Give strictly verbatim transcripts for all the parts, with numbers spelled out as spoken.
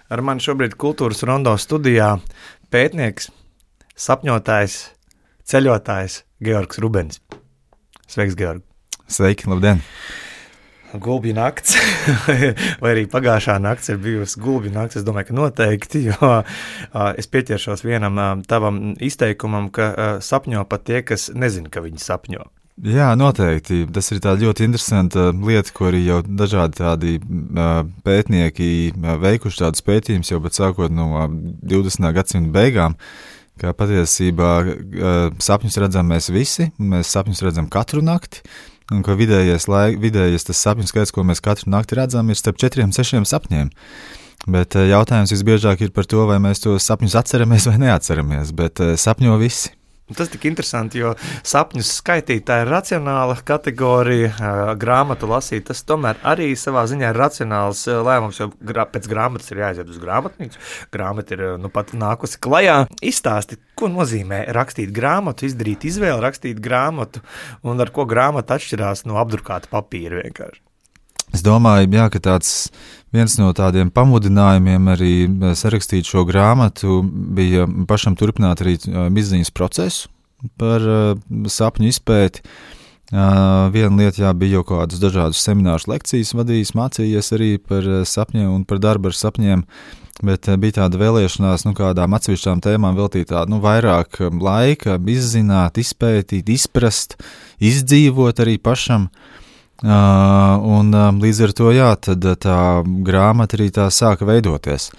Ar mani šobrīd Kultūras Rondo studijā pētnieks, sapņotājs, ceļotājs Georgs Rubens. Sveiks, Georg. Sveiki, labdien. Gulbju nakts, vai arī pagājušā nakts ir bijusi gulbju nakts, es domāju, ka noteikti, jo es pieķeršos vienam tavam izteikumam, ka sapņo pat tie, kas nezin, ka viņi sapņo. Jā, noteikti. Tas ir tā ļoti interesanta lieta, ko arī jau dažādi tādi pētnieki veikuši tādus pētījumus jau pat sākot no divdesmitā gadsimta beigām, ka patiesībā sapņus redzam mēs visi, mēs sapņus redzam katru nakti, un ka vidējais, laik, vidējais tas sapņu skaits, ko mēs katru nakti redzam, ir starp četriem, sešiem sapņiem. Bet jautājums visbiežāk ir par to, vai mēs tos sapņus atceramies vai neatceramies, bet sapņo visi. Tas tik interesanti, jo sapņus skaitīt, tā ir racionāla kategorija, grāmatu lasīt, tas tomēr arī savā ziņā ir racionāls lēmums, jo pēc grāmatas ir jāaiziet uz grāmatnīcu, grāmata ir nu pat nākusi klajā. Izstāsti, ko nozīmē rakstīt grāmatu, izdarīt izvēli, rakstīt grāmatu, un ar ko grāmata atšķirās no apdrukāta papīra vienkārši. Es domāju, jā, ka tāds viens no tādiem pamudinājumiem arī sarakstīt šo grāmatu bija pašam turpināt arī izziņas procesu par uh, sapņu izpēti. Uh, viena lieta, jā, bija jau kādus dažādus seminārus, lekcijas vadījis, mācījies arī par sapņiem un par darbu ar sapņiem, bet uh, bija tāda vēlēšanās, nu, kādām atsevišķām tēmām veltīt tādu, nu, vairāk laika, izzināt, izpētīt, izprast, izdzīvot arī pašam. Uh, un uh, līdz ar to, jā, tad uh, tā grāmata arī tā sāka veidoties.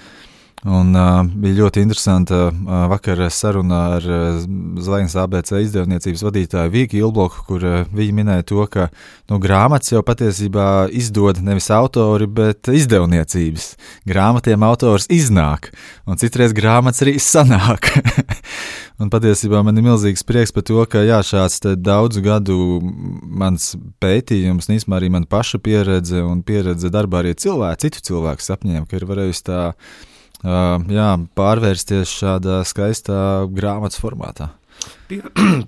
Un uh, bija ļoti interesanta uh, vakar saruna ar uh, Zvaigznes A B C izdevniecības vadītāju Vīku Ilbloku, kur uh, viņi minēja to, ka nu, grāmatas jau patiesībā izdod nevis autori, bet izdevniecības. Grāmatiem autors iznāk, un citreiz grāmatas arī sanāk. Un patiesībā man ir milzīgs prieks par to, ka jā, šāds daudzu gadu mans pētījums, nīsmā arī man paša pieredze un pieredze darbā arī cilvēku, citu cilvēku sapņiem, ka ir varējusi tā uh, jā, pārvērsties šādā skaistā grāmatas formātā. Pie,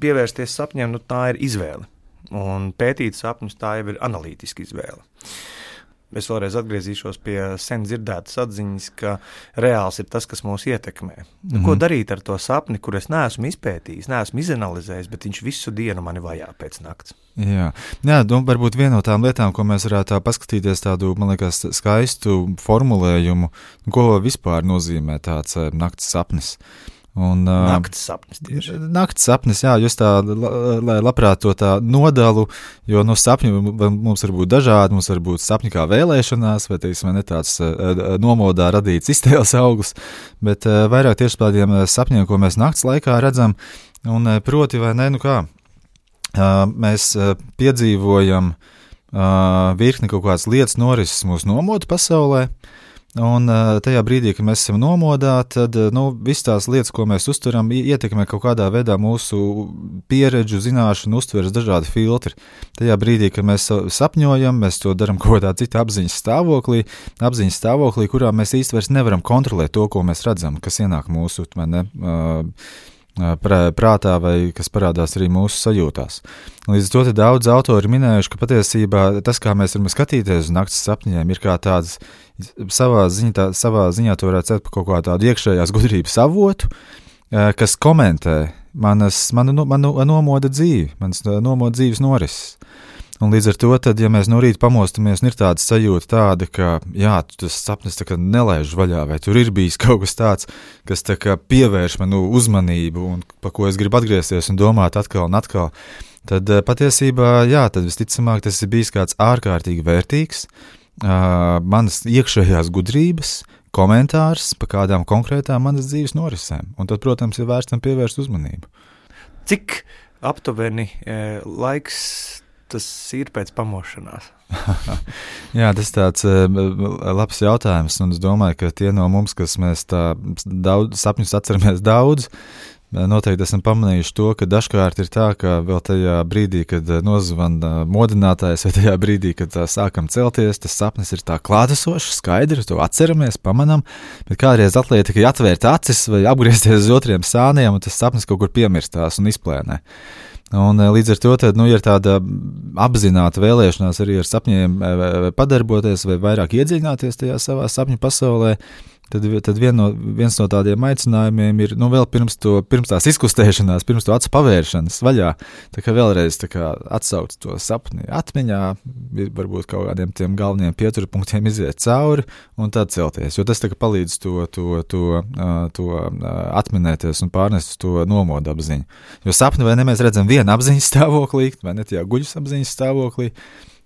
pievērsties sapņiem, nu tā ir izvēle. Un pētīt sapņus, tā jau ir analītiska izvēle. Es vēlreiz atgriezīšos pie sen dzirdētas atziņas, ka reāls ir tas, kas mūs ietekmē. Mm-hmm. Ko darīt ar to sapni, kur es neesmu izpētījis, neesmu izanalizējis, bet viņš visu dienu mani vajā pēc nakts? Jā, Jā nu, varbūt viena no tām lietām, ko mēs varētu tā paskatīties tādu, man liekas, skaistu formulējumu, ko vispār nozīmē tāds nakts sapnis. Un, nakts sapnis tieši. Nakts sapnis, jā, jūs tā la, labprāt to tā nodalu, jo no sapņu mums var būt dažādi, mums var būt sapņi kā vēlēšanās, vai teiksim, ne tāds nomodā radīts iztēles auglis, bet vairāk tieši tādiem sapņiem, ko mēs nakts laikā redzam, un proti vai ne, nu kā, mēs piedzīvojam virkni kaut kādas lietas norises mūsu nomodu pasaulē. Un tajā brīdī, kad mēs esam nomodā, tad nu, visas tās lietas, ko mēs uztveram, ietekmē kaut kādā veidā mūsu pieredžu, zināšanu, uztveres dažādi filtri. Tajā brīdī, kad mēs sapņojam, mēs to darām kaut kādā citā apziņas stāvoklī, apziņas stāvoklī, kurā mēs īsti vairs nevaram kontrolēt to, ko mēs redzam, kas ienāk mūsu ne, prātā vai kas parādās arī mūsu sajūtās. Līdz ar to te daudz autori minējuši, ka patiesībā tas, kā mēs varam skatīties uz nakts sapņiem, ir kā tāds savā ziņā, tā, savā ziņā to varētu cēt par kaut kā tādu iekšējās gudrības avotu, kas komentē manas, manu, manu nomoda dzīvi, manas nomoda dzīves norises. Un līdz ar to, tad, ja mēs no rīta pamostamies un ir tāda sajūta tāda, ka jā, tas sapnis tā kā nelaiž vaļā, vai tur ir bijis kaut kas tāds, kas tā kā pievērš manu uzmanību un pa ko es gribu atgriezties un domāt atkal un atkal, tad patiesībā, jā, tad visticamāk tas ir bijis kāds ārkārtīgi vērtīgs, uh, manas iekšējās gudrības, komentārs par kādām konkrētām manas dzīves norisēm. Un tad, protams, ir vērts tam pievērst uzmanību. Cik aptuveni e, laiks tas ir pēc pamošanās? Jā, tas tāds uh, labs jautājums, un es domāju, ka tie no mums, kas mēs tā daudz, sapņus atceramies daudz, noteikti esam pamanījuši to, ka dažkārt ir tā, ka vēl tajā brīdī, kad nozvana modinātājs, vai tajā brīdī, kad sākam celties, tas sapnis ir tā klātesošs, skaidrs, to atceramies, pamanam, bet kādreiz atliek tikai atvērt acis vai apgriezties uz otriem sāniem, un tas sapnis kaut kur piemirstās un izplēnē. Un līdz ar to tad, nu, ir tāda apzināta vēlēšanās arī ar sapņiem padarboties vai vairāk iedziļināties tajā savā sapņu pasaulē, tad, tad vien no, viens no tādiem aicinājumiem ir, nu, vēl pirms, to, pirms tās izkustēšanās, pirms to acu pavēršanas vaļā, tā kā vēlreiz tā kā atsauc to sapni atmiņā, varbūt kaut kādiem tiem galvenajiem pieturpunktiem iziet cauri un tad celties, jo tas tā kā palīdz to, to, to, to atminēties un pārnest to nomodu apziņu. Jo sapni vai ne mēs redzam vienu apziņas stāvoklī, vai ne tajā guļas apziņas stāvoklī,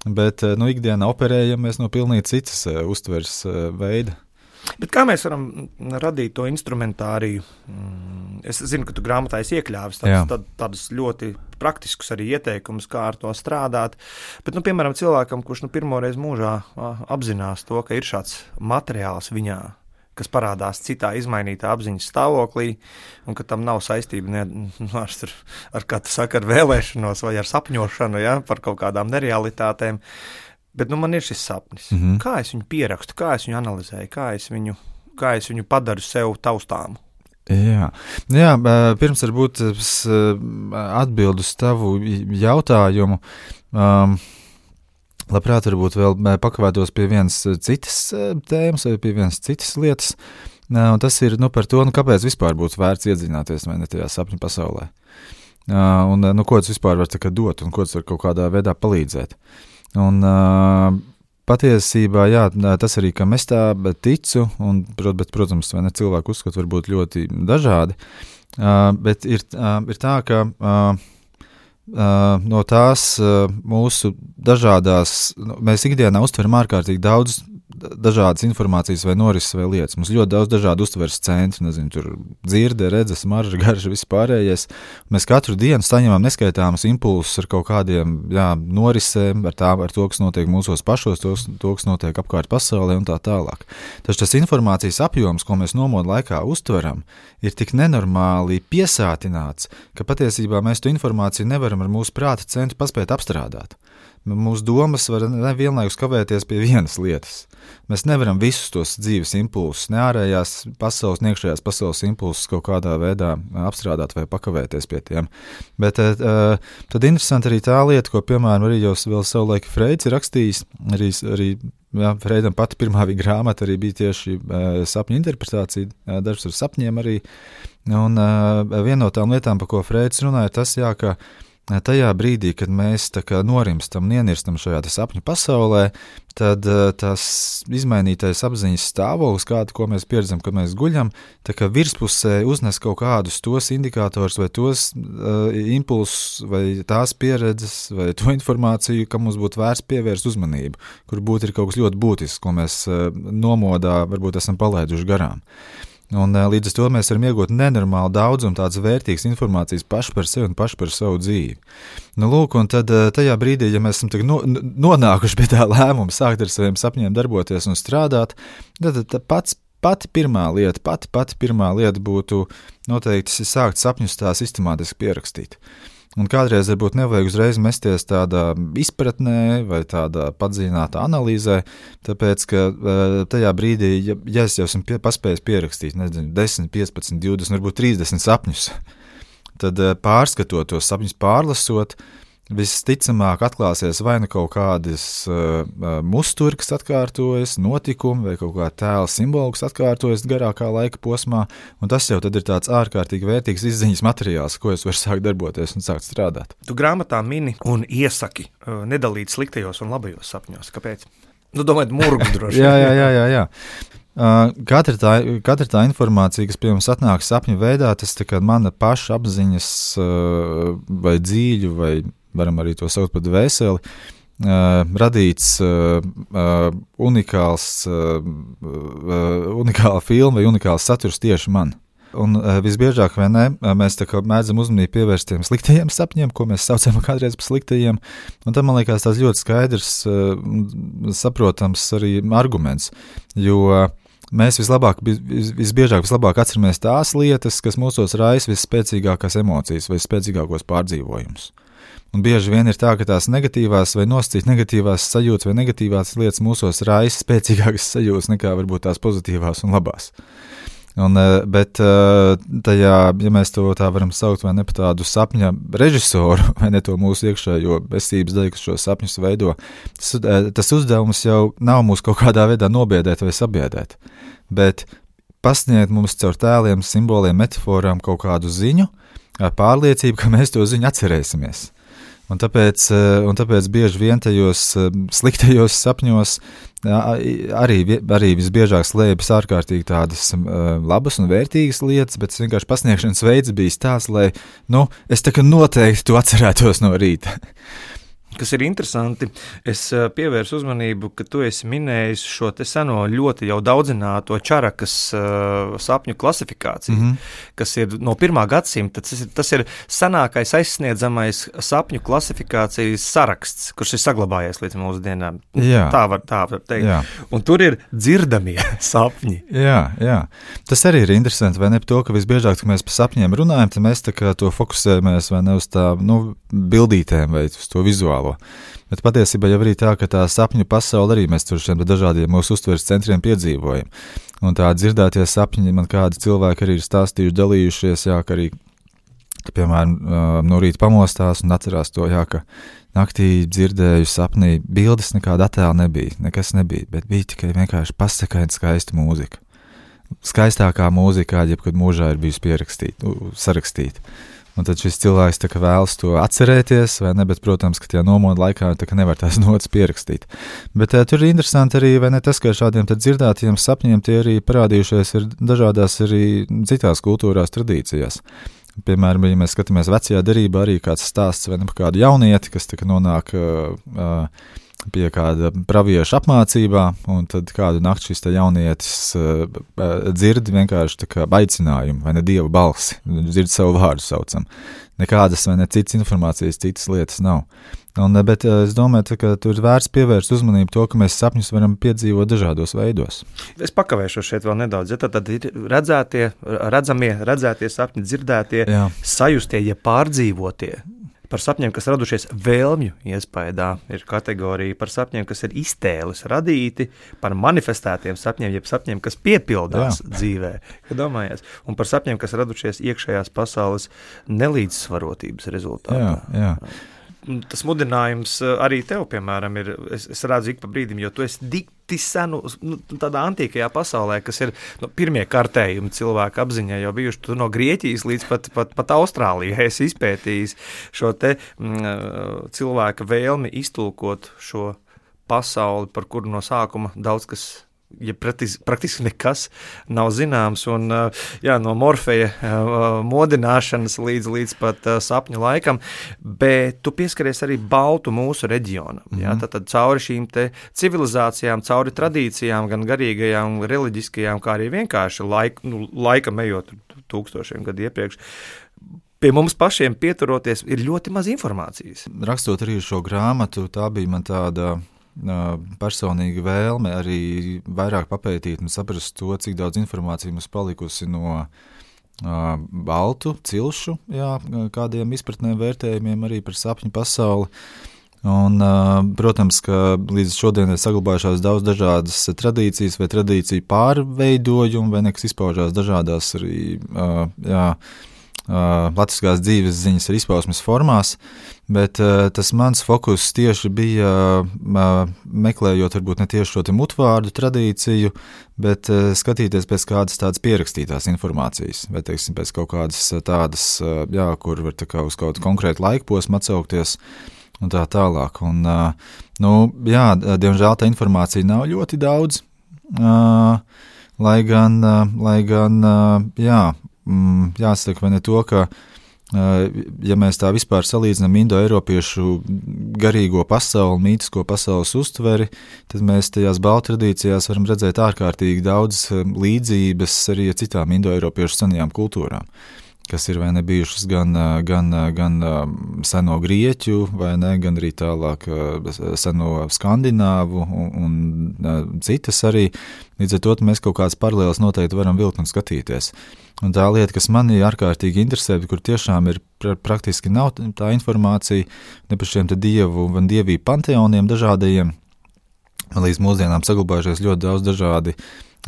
bet nu, ikdienā operējamies no pilnīgi citas uh, uztveres uh, veida. Bet kā mēs varam radīt to instrumentāriju? Es zinu, ka tu grāmatā esi iekļāvis tādus, tad, tādus ļoti praktiskus arī ieteikumus, kā ar to strādāt. Bet, nu, piemēram, cilvēkam, kurš nu, pirmoreiz mūžā apzinās to, ka ir šāds materiāls viņā, kas parādās citā izmainītā apziņas stāvoklī, un ka tam nav saistība ne, ar, ar, kā tu saki, ar vēlēšanos vai ar sapņošanu, ja, par kaut kādām nerealitātēm. Bet nu, man ir šis sapnis. Mm-hmm. Kā es viņu pierakstu, kā es viņu analizēju, kā es viņu, kā es viņu padaru sev taustāmu? Jā, Jā pirms varbūt atbildu uz tavu jautājumu. Um, labprāt, varbūt vēl pakavētos pie vienas citas tēmas vai pie vienas citas lietas. Un tas ir nu, par to, nu, kāpēc vispār būtu vērts iedziļināties vai ne tajā sapņu pasaulē. Un nu, ko tas vispār var dot un ko tas var kaut kādā veidā palīdzēt. Un uh, patiesībā, jā, tas arī, kam es tā ticu, un, bet, protams, vai ne, cilvēku uzskatu var būt ļoti dažādi, uh, bet ir, uh, ir tā, ka uh, uh, no tās uh, mūsu dažādās, nu, mēs ikdienā uztveram ārkārtīgi daudz dažādas informācijas vai norises vai lietas. Mums ļoti daudz dažādu uztveres centru, nezinu, tur dzirde, redzes, marža, garša, viss pārējais. Mēs katru dienu saņemam neskaitāmus impulsus ar kaut kādiem, jā, norisēm, ar, tā, ar to, kas notiek mūsos pašos, to, to, kas notiek apkārt pasaulē un tā tālāk. Taču tas informācijas apjoms, ko mēs nomodu laikā uztveram, ir tik nenormāli piesātināts, ka patiesībā mēs to informāciju nevaram ar mūsu prāta centru paspēt apstrādāt. Mūsu domas var vienlaikus kavēties pie vienas lietas. Mēs nevaram visus tos dzīves impulsus, ne ārējās pasaules, ne iekšējās pasaules impulsus kaut kādā veidā apstrādāt vai pakavēties pie tiem. Bet uh, tad interesanti arī tā lieta, ko, piemēram, arī jau vēl savulaik Freids ir rakstījis, arī, arī jā, Freidam pati pirmā viņa grāmata arī bija tieši uh, sapņu interpretācija, uh, darbs ar sapņiem arī. Un uh, viena no tām lietām, par ko Freids runāja, tas jā, ka tajā brīdī, kad mēs tā kā norimstam un ienirstam šajā sapņu pasaulē, tad tas izmainītais apziņas stāvoklis, kādu, ko mēs pieredzam, kad mēs guļam, tā kā virspusē uznes kaut kādus tos indikātors vai tos uh, impulsus vai tās pieredzes vai to informāciju, kam mums būtu vērts pievērst uzmanību, kur būtu ir kaut kas ļoti būtisks, ko mēs uh, nomodā varbūt esam palaiduši garām. Un līdz ar to mēs varam iegūt nenormāli daudz un tādas vērtīgas informācijas paši par sevi un paši par savu dzīvi. Nu, lūk, un tad tajā brīdī, ja mēs esam no, nonākuši pie tā lēmuma sākt ar saviem sapņiem darboties un strādāt, tad, tad pats, pati pirmā lieta, pati, pati pirmā lieta būtu noteikti sākt sapņus tā sistemātiski pierakstīt. Un kādreiz varbūt nevajag uzreiz mesties tādā izpratnē vai tādā padziļinātā analīzē, tāpēc, ka tajā brīdī, ja, ja es jau esmu pie, paspējis pierakstīt, nezinu, desmit, piecpadsmit, divdesmit, varbūt trīsdesmit sapņus, tad pārskatot tos sapņus, pārlasot, visticamāk atklāsies vai nu kaut kādas uh, musturi, kas atkārtojas, notikumi vai kaut kā tēla simboli, kas atkārtojas garākā laika posmā, un tas jau tad ir tāds ārkārtīgi vērtīgs izziņas materiāls, ko es varu sākt darboties un sākt strādāt. Tu grāmatā mini un iesaki uh, nedalīt sliktajos un labajos sapņos. Kāpēc? Nu, domāju, murgu droši. jā, jā, jā, jā, jā. Uh, katra, tā, katra tā informācija, kas pie mums atnāk sapņu veidā, tas tā kā mana paša apziņas uh, vai dzīļu vai varam arī to saukt par dvēseli, uh, radīts uh, uh, unikāls, uh, uh, unikāla filma vai unikāls saturs tieši man. Un uh, visbiežāk vai ne, mēs tā kā mēdzam uzmanību pievērst tiem sliktajiem sapņiem, ko mēs saucam kādreiz par sliktajiem, un tam, man liekas, tās ļoti skaidrs, uh, saprotams arī arguments, jo uh, mēs vislabāk, vis, visbiežāk vislabāk atceramies tās lietas, kas mūsos raisa visspēcīgākās emocijas vai spēcīgākos pārdzīvojumus. Un bieži vien ir tā, ka tās negatīvās vai nosacīt negatīvās sajūtas vai negatīvās lietas mūsos raisa spēcīgākas sajūtas nekā varbūt tās pozitīvās un labās. Un, bet tajā, ja mēs to tā varam saukt vai ne par tādu sapņa režisoru vai ne to mūsu iekšējo esības daļu, kas šo sapņus veido, tas, tas uzdevums jau nav mūs kaut kādā veidā nobiedēt vai sabiedēt, bet pasniegt mums caur tēliem, simboliem, metaforām kaut kādu ziņu, ar pārliecību, ka mēs to ziņu atcerēsimies. Un tāpēc, un tāpēc bieži vien tajos sliktajos sapņos arī, arī visbiežāk slēpjas ārkārtīgi tādas labas un vērtīgas lietas, bet vienkārši pasniegšanas veids bijis tāds, lai, nu, es tā kā noteikti to atcerētos no rīta. Kas ir interesanti, es pievērsu uzmanību, ka tu esi minējis šo te seno ļoti jau daudzināto Čarakas uh, sapņu klasifikāciju, mm-hmm. kas ir no pirmā gadsimta. Tas ir, tas ir senākais aizsniedzamais sapņu klasifikācijas saraksts, kurš ir saglabājies līdz mūsu dienām. Jā. Tā var, tā var teikt. Jā. Un tur ir dzirdamie sapņi. Jā, jā. Tas arī ir interesanti, vai ne par to, ka visbiežāk, kad mēs par sapņiem runājam, tad mēs tā kā to fokusējamies vai ne uz tā, nu, bildītēm vai uz to vizuālo. Bet patiesībā jau arī tā, ka tā sapņu pasaule arī mēs tur šiem dažādiem mūsu uztveres centriem piedzīvojam. Un tā dzirdētie sapņi, man kādi cilvēki arī ir stāstījuši, dalījušies, jā, ka arī, ka, piemēram, no rīta pamostās un atcerās to, jā, ka naktī dzirdēju sapnī, bildes nekāda attēla nebija, nekas nebija, bet bija tikai vienkārši pasakaini skaista mūzika. Skaistākā mūzika, kāda jebkad mūžā ir bijusi pierakstīta, sarakstīta. Un tad šis cilvēks tā kā vēlas to atcerēties, vai ne, bet, protams, ka tajā nomoda laikā tā kā nevar tās notas pierakstīt. Bet uh, tur ir interesanti arī, vai ne, tas, ka šādiem tad dzirdētiem sapņiem tie arī parādījušies ir dažādās arī citās kultūrās, tradīcijās. Piemēram, ja mēs skatāmies vecajā derībā, arī kāds stāsts vai ne par kādu jaunieti, kas tā kā nonāk uh, uh, pie kāda pravieša apmācībā, un tad kādu nakti šis jaunietis uh, dzird vienkārši tā kā aicinājumu, vai ne Dieva balsi, dzird savu vārdu saucam. Nekādas vai ne citas informācijas, citas lietas nav. Un, bet uh, es domāju, ka tur vērts pievērst uzmanību to, ka mēs sapņus varam piedzīvot dažādos veidos. Es pakavēšu šeit vēl nedaudz, ja tad, tad ir redzētie, redzamie, redzētie sapņi, dzirdētie, Jā. sajustie, ja pārdzīvotie. Par sapņiem, kas radušies vēlmju iespējā, ir kategorija par sapņiem, kas ir iztēles radīti, par manifestētiem sapņiem, jeb sapņiem, kas piepildās Jā. dzīvē. Domājies, un par sapņiem, kas radušies iekšējās pasaules nelīdzsvarotības rezultātā. Jā, jā. Tas mudinājums arī tev, piemēram, ir, es, es redzu ik pa brīdim, jo tu esi dikti senu, nu, tādā antīkajā pasaulē, kas ir nu, pirmie kartējumi cilvēku apziņā, jau bijuši tu no Grieķijas līdz pat, pat, pat Austrālijai, esi izpētījis šo te mm, cilvēka vēlmi iztulkot šo pasauli, par kuru no sākuma daudz kas ja praktiski, praktiski nekas nav zināms, un jā, no Morfeja modināšanas līdz, līdz pat sapņu laikam, bet tu pieskaries arī baltu mūsu reģionam. Mm-hmm. Jā, tad, tad cauri šīm te civilizācijām, cauri tradīcijām, gan garīgajām, reliģiskajām, kā arī vienkārši laik, nu, laikam ejot tūkstošiem gadu iepriekš, pie mums pašiem pieturoties ir ļoti maz informācijas. Rakstot arī šo grāmatu, tā bija man tāda personīga vēlme arī vairāk papētīt un saprast to, cik daudz informācijas mums palikusi no uh, baltu cilšu, jā, kādiem izpratnēm vērtējumiem arī par sapņu pasauli. Un, uh, protams, ka līdz šodien ir saglabājušās daudz dažādas tradīcijas vai tradīciju pārveidojumi, vai nekas izpaužās dažādās arī, uh, jā, Uh, latviskās dzīves ziņas ir izpausmes formās, bet uh, tas mans fokus tieši bija uh, meklējot varbūt ne tieši šo te mutvārdu tradīciju, bet uh, skatīties pēc kādas tādas pierakstītās informācijas, vai teiksim pēc kaut kādas tādas, uh, jā, kur var tā kā uz kaut konkrētu laikposmu atsaukties un tā tālāk. Un, uh, nu, jā, diemžēl tā informācija nav ļoti daudz, uh, lai gan, uh, lai gan, uh, jā, Mm, jāsaka, vai ne to, ka, ja mēs tā vispār salīdzinām indo-eiropiešu garīgo pasauli, mītisko pasaules uztveri, tad mēs tajās baltu tradīcijās varam redzēt ārkārtīgi daudz līdzības arī ar citām indo-eiropiešu senajām kultūrām, kas ir vai ne bijušas gan, gan, gan seno grieķu, vai ne, gan arī tālāk seno skandināvu un, un citas arī. Līdz ar to mēs kaut kādas paralēlas noteikti varam vilkt un skatīties. Un tā lieta, kas mani ārkārtīgi interesē, kur tiešām ir pra- praktiski nav tā informācija ne par šiem te dievu un dievību panteoniem dažādajiem, līdz mūsdienām saglabājušies ļoti daudz dažādi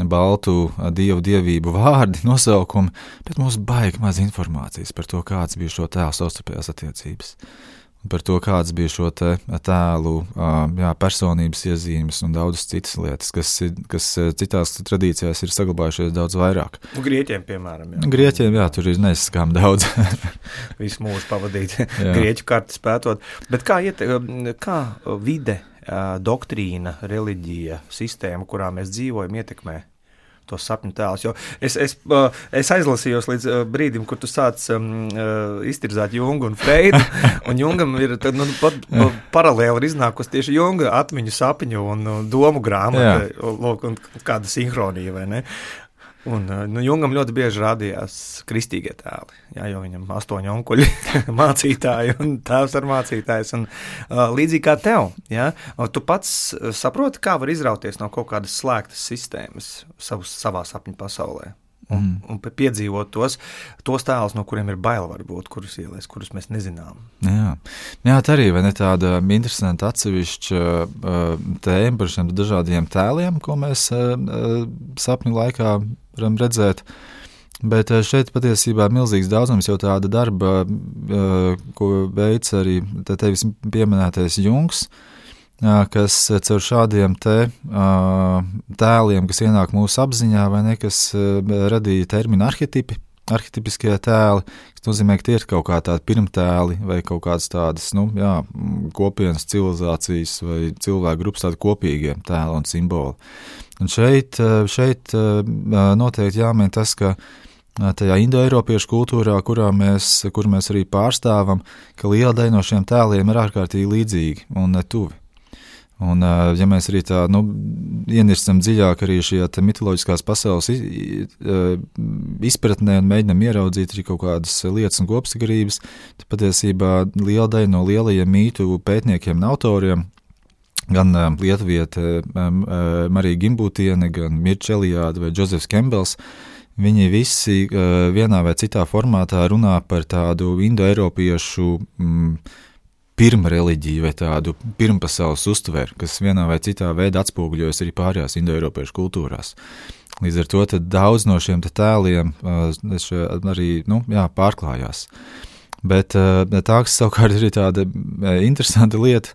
baltu dievu dievību vārdi, nosaukumi, bet mums baigi maz informācijas par to, kāds bija šo tēlu savstarpējās attiecības. par to, kāds bija šo te tēlu jā, personības iezīmes un daudzas citas lietas, kas, kas citās tradīcijās ir saglabājušies daudz vairāk. Un Grieķiem, piemēram. Jā. Grieķiem, jā, tur ir neizskām daudz. Visu mūžu pavadīt grieķu kartes pētot. Bet kā, iet, kā vide, doktrīna, reliģija, sistēma, kurā mēs dzīvojam, ietekmē tos sapņu tēlus? Jo es, es, es aizlasījos līdz brīdim, kur tu sāc um, iztirzāt Jungu un Freidu, un Jungam ir tad, nu, pat, paralēli ir iznākusi tieši Junga atmiņu sapņu un domu grāmata, lūk, un kāda sinhronija, vai ne? Un, nu, Jungam ļoti bieži rādījās kristīgie tēli, jā, jo viņam astoņi onkuļi mācītāji un tēvs ar mācītājs. Un, uh, līdzīgi kā tev, jā, tu pats saproti, kā var izrauties no kaut kādas slēgtas sistēmas savus, savā sapņu pasaulē. Un, mm. un piedzīvot tos, tos tēlus, no kuriem ir bail varbūt, kurus ielēs, kurus mēs nezinām. Jā, Jā tā arī vai ne tāda interesanta atsevišķa uh, tēma par šiem dažādiem tēliem, ko mēs uh, sapņu laikā varam redzēt. Bet uh, šeit patiesībā milzīgs daudzums jau tāda darba, uh, ko veic arī tevis pieminētais Jungs, kas caur šādiem te tēliem, kas ienāk mūsu apziņā, vai ne, kas radīja terminu arhetipi, arhetipiskie tēli, kas nozīmē, ka tie ir kaut kā tādi pirmtēli vai kaut kādas tādas, nu, jā, kopienas civilizācijas vai cilvēku grupas tādi kopīgie tēli un simboli. Un šeit, šeit noteikti jāmin tas, ka tajā indoeiropiešu kultūrā, kurā mēs, kur mēs arī pārstāvam, ka liela daļa no šiem tēliem ir ārkārtīgi līdzīgi un tuvi. Un, ja mēs arī tā, nu, ienirstam dziļāk arī šajā mitoloģiskās pasaules izpratnē un mēģinam ieraudzīt arī kaut kādas lietas un kopsakarības, tad patiesībā liela daļa no lielajiem mītu pētniekiem un autoriem, gan lietuviete Marija Gimbūtiene, gan Mirča Eliāde vai Džozefs Kembels, viņi visi vienā vai citā formātā runā par tādu indoeiropiešu mm, pirma reliģiju vai tādu pirmpasaules uztveru, kas vienā vai citā veidā atspoguļojas arī pārējās indoeiropiešu kultūrās. Līdz ar to tad daudz no šiem tēliem arī nu, jā, pārklājās. Bet tā, kas savukārt ir tāda interesanta lieta,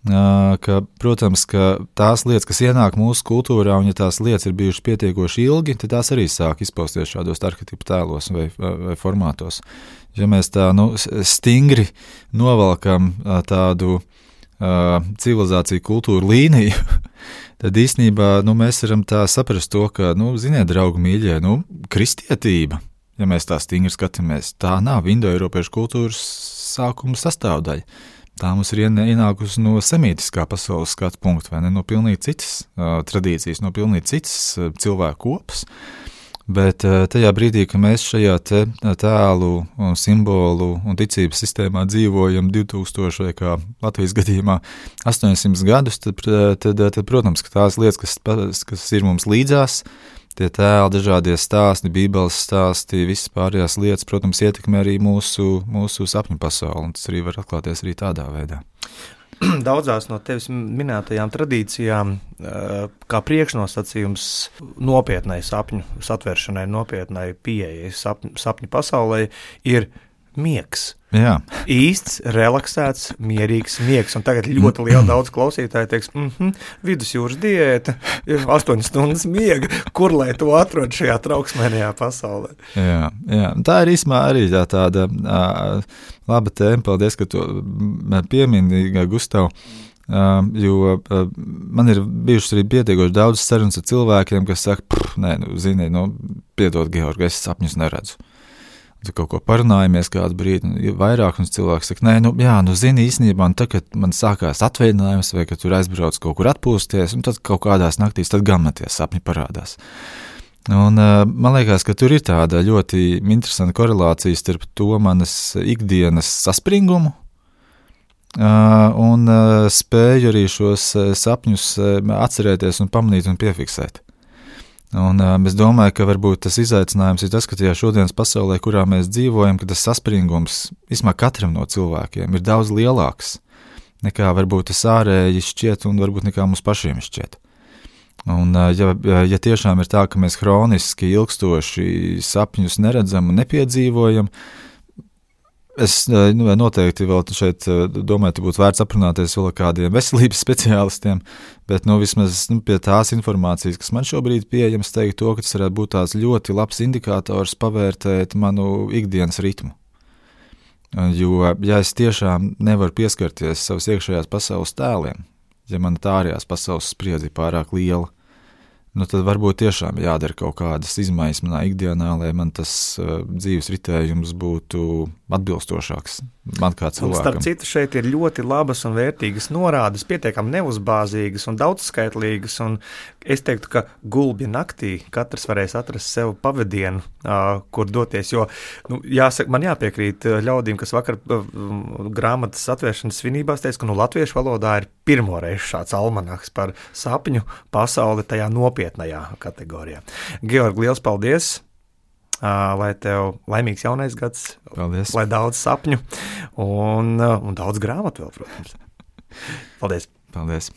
ka, protams, ka tās lietas, kas ienāk mūsu kultūrā, un ja tās lietas ir bijušas pietiekoši ilgi, tad tās arī sāk izpausties šādos arhetipu tēlos vai, vai formātos. Ja mēs tā nu, stingri novalkam tādu uh, civilizāciju kultūru līniju, tad īstenībā nu, mēs varam tā saprast to, ka, nu, ziniet, draugi mīļie, nu, kristietība, ja mēs tā stingri skatāmies, tā nav indoeiropiešu kultūras sākuma sastāvdaļa. Tā mums ir ienākusi no semītiskā pasaules skatu punkta, vai ne, no pilnīgi citas uh, tradīcijas, no pilnīgi citas uh, cilvēku kopas. Bet tajā brīdī, ka mēs šajā te tēlu, simbolu un ticības sistēmā dzīvojam divtūkstoši vai kā Latvijas gadījumā astoņsimt gadus, tad, tad, tad, protams, ka tās lietas, kas, kas ir mums līdzās, tie tēli, dažādie stāsti, bībeles stāsti, visas pārējās lietas, protams, ietekmē arī mūsu, mūsu sapņu pasauli, un tas arī var atklāties arī tādā veidā. Daudzās no tevis minētajām tradīcijām kā priekšnosacījums nopietnai sapņu satveršanai, nopietnai pieejai sapņu, sapņu pasaulē ir miegs. Jā. Īsts, relaksēts, mierīgs miegs. Un tagad ļoti liela daudz klausītāji teiks, mhm, vidusjūras diēta, astoņas stundas miega, kur lai to atrod šajā trauksmēnajā pasaulē. Jā, jā. Tā ir īsmā arī tā tāda uh, laba tēma, paldies, ka to piemini, Gustav, uh, jo uh, man ir bijušas arī pietiekoši daudz sarunas ar cilvēkiem, kas saka, nē, nu, zini, nu, piedod, Georgi, es sapņus neredzu. Tu kaut ko parunājamies kādu brīdi, vairāk mums cilvēks saka, nē, nu, jā, nu, zini, īstenībā, un tad, kad man sākās atvaļinājums, vai kad tur aizbrauc kaut kur atpūsties, un tad kaut kādās naktīs, tad gan man tie sapņi parādās. Un man liekas, ka tur ir tāda ļoti interesanta korelācija starp to manas ikdienas saspringumu un spēju arī šos sapņus atcerēties un pamanīt un piefiksēt. Un uh, es domāju, ka varbūt tas izaicinājums ir tas, ka tajā šodienas pasaulē, kurā mēs dzīvojam, ka tas saspringums vismā katram no cilvēkiem ir daudz lielāks nekā varbūt tas ārēji šķiet un varbūt nekā mums pašiem šķiet. Un uh, ja, ja tiešām ir tā, ka mēs hroniski ilgstoši sapņus neredzam un nepiedzīvojam, Es nu, noteikti vēl šeit domāju, ka būtu vērts aprunāties vēl ar kādiem veselības speciālistiem, bet nu, vismaz nu, pie tās informācijas, kas man šobrīd pieejams, teiktu to, ka tas varētu būt tāds ļoti labs indikators pavērtēt manu ikdienas ritmu. Jo, ja es tiešām nevaru pieskarties savas iekšējās pasaules tēliem, ja mana tā ārējās pasaules spriedze ir pārāk liela, nu tad varbūt tiešām jādara kaut kādas izmaiņas manā ikdienā, lai man tas uh, dzīves ritējums būtu atbilstošāks man kā cilvēkam. Un starp citu, šeit ir ļoti labas un vērtīgas norādes, pietiekami neuzbāzīgas un daudzskaitlīgas, un es teiktu, ka gulbja naktī katrs varēs atrast sev pavadienu, uh, kur doties, jo, nu, jāsaka, man jāpiekrīt ļaudīm, kas vakar uh, grāmatas atvēršanas svinībās teica, ka nu latviešu valodā ir pirmoreiz šāds almanaks par sapņu pasauli tajā nopietnajā kategorijā. Georg, liels paldies! Uh, lai tev laimīgs jaunais gads, paldies. Lai daudz sapņu un, uh, un daudz grāmatu vēl, protams. Paldies! Paldies!